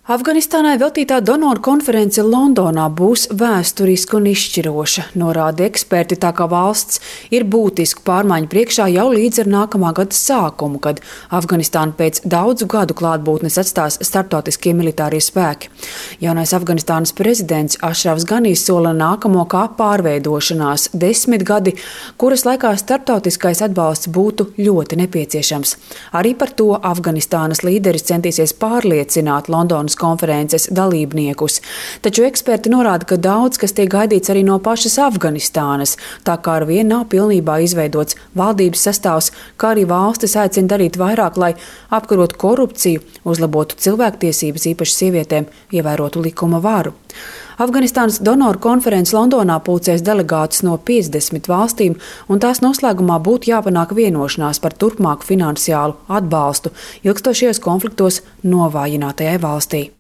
Afganistānai veltītā donoru konference Londonā būs vēsturiska un izšķiroša, norāda eksperti, tā kā valsts ir būtisku pārmaiņu priekšā jau līdz ar nākamā gada sākumu, kad Afganistānu pēc daudzu gadu klātbūtnes atstās starptautiskie militārie spēki. Jaunais Afganistānas prezidents Ašrafs Ganijs sola nākamo kā pārveidošanās 10 gadi, kuras laikā starptautiskais atbalsts būtu ļoti nepieciešams. Arī par to Afganistānas līderis centīsies pārliecināt Londonas konferences dalībniekus. Taču eksperti norāda, ka daudz kas tiek gaidīts arī no pašas Afganistānas, tā kā arvien nav pilnībā izveidots valdības sastāvs, kā arī valstis aicina darīt vairāk, lai apkarotu korupciju, uzlabotu cilvēktiesības, īpaši sievietēm, ievērotu likuma varu. Afganistānas donoru konferences Londonā pulcēs delegātus no 50 valstīm, un tās noslēgumā būtu jāpanāk vienošanās par turpmāku finansiālu atbalstu ilgstošajos konfliktos novājinātajai valstī.